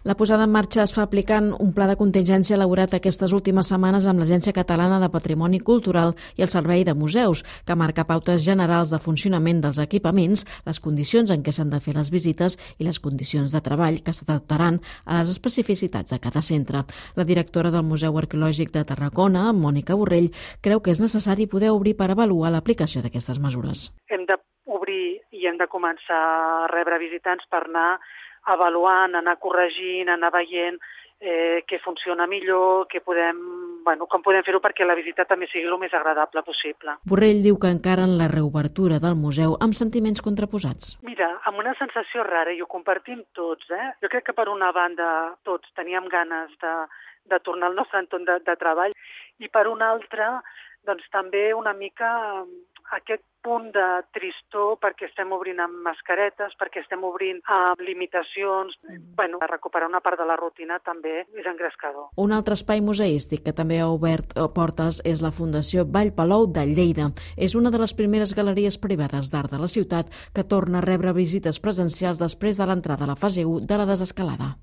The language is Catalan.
La posada en marxa es fa aplicant un pla de contingència elaborat aquestes últimes setmanes amb l'Agència Catalana de Patrimoni Cultural i el Servei de Museus, que marca pautes generals de funcionament dels equipaments, les condicions en què s'han de fer les visites i les condicions de treball que s'adaptaran a les especificitats de cada centre. La directora del Museu Arqueològic de Tarragona, Mònica Borrell, creu que és necessari poder obrir per avaluar l'aplicació d'aquestes mesures. Hem d'obrir i hem de començar a rebre visitants per anar avaluant, anar corregint, anar veient què funciona millor, com podem fer-ho perquè la visita també sigui el més agradable possible. Borrell diu que encaren la reobertura del museu amb sentiments contraposats. Mira, amb una sensació rara, i ho compartim tots. Jo crec que per una banda tots teníem ganes de tornar al nostre entorn de treball i per una altra doncs també una mica aquest punt de tristor perquè estem obrint amb mascaretes, perquè estem obrint amb limitacions. Recuperar una part de la rutina també és engrescador. Un altre espai museístic que també ha obert portes és la Fundació Vall Palou de Lleida. És una de les primeres galeries privades d'art de la ciutat que torna a rebre visites presencials després de l'entrada a la fase 1 de la desescalada.